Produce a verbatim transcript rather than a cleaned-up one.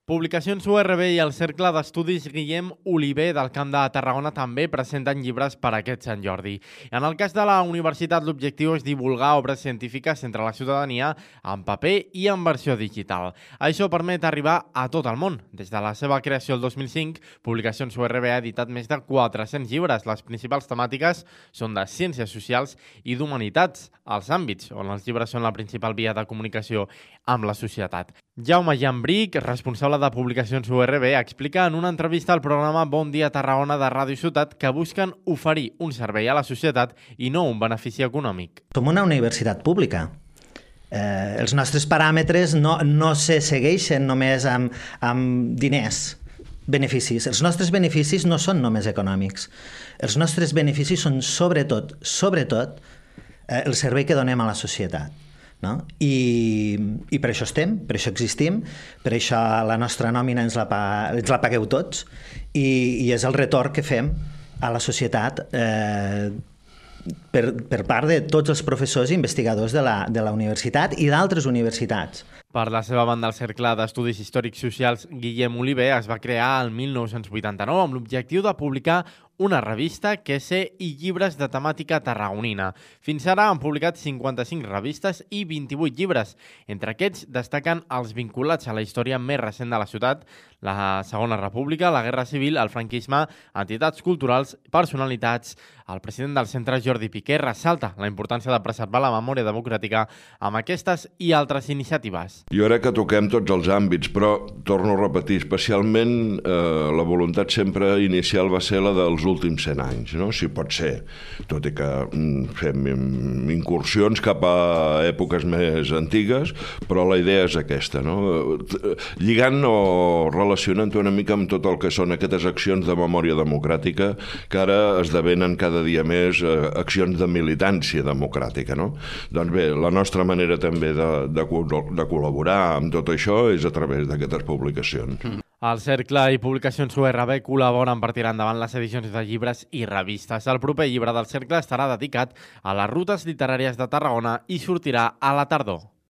Publicacions U R B i el Cercle d'Estudis Guillem Oliver del Camp de Tarragona també presenten llibres per a aquest Sant Jordi. En el cas de la universitat, l'objectiu és divulgar obres científiques entre la ciutadania en paper i en versió digital. Això permet arribar a tot el món. Des de la seva creació el dos mil cinc, Publicacions U R B ha editat més de quatre-cents llibres. Les principals temàtiques són de ciències socials i d'humanitats, els àmbits on els llibres són la principal via de comunicació amb la societat. Jaume Llambric, responsable de Publicacions U R B, explica en una entrevista al programa Bon Dia Tarragona de Ràdio Ciutat que busquen oferir un servei a la societat i no un benefici econòmic. Som una universitat pública. Eh, els nostres paràmetres no, no se segueixen només amb, amb diners, beneficis. Els nostres beneficis no són només econòmics. Els nostres beneficis són sobretot, sobretot, eh, el servei que donem a la societat. No? I, i per això estem, per això existim, per això la nostra nòmina ens la, pa, ens la pagueu tots i, i és el retorn que fem a la societat eh, per, per part de tots els professors i investigadors de la, de la universitat i d'altres universitats. Per la seva banda, el Cercle d'Estudis Històrics Socials Guillem Oliver es va crear el mil nou-cents vuitanta-nou amb l'objectiu de publicar una revista, quese i llibres de temàtica tarragonina. Fins ara han publicat cinquanta-cinc revistes i vint-i-vuit llibres. Entre aquests destaquen els vinculats a la història més recent de la ciutat, la Segona República, la Guerra Civil, el franquisme, entitats culturals, personalitats. El president del centre, Jordi Piqué, ressalta la importància de preservar la memòria democràtica amb aquestes i altres iniciatives. Jo crec que toquem tots els àmbits, però torno a repetir, especialment eh, la voluntat sempre inicial va ser la dels últims cent anys, no? Si pot ser, tot i que mm, fem incursions cap a èpoques més antigues, però la idea és aquesta, no? Lligant o relacionant una mica amb tot el que són aquestes accions de memòria democràtica que ara esdevenen cada dia més eh, accions de militància democràtica, no? Doncs bé, la nostra manera també de, de, de col·laborar amb tot això és a través d'aquestes publicacions. Mm. El Cercle i Publicacions U R B col·laboren per tirar endavant les edicions de llibres i revistes. El proper llibre del Cercle estarà dedicat a les rutes literàries de Tarragona i sortirà a la tardor.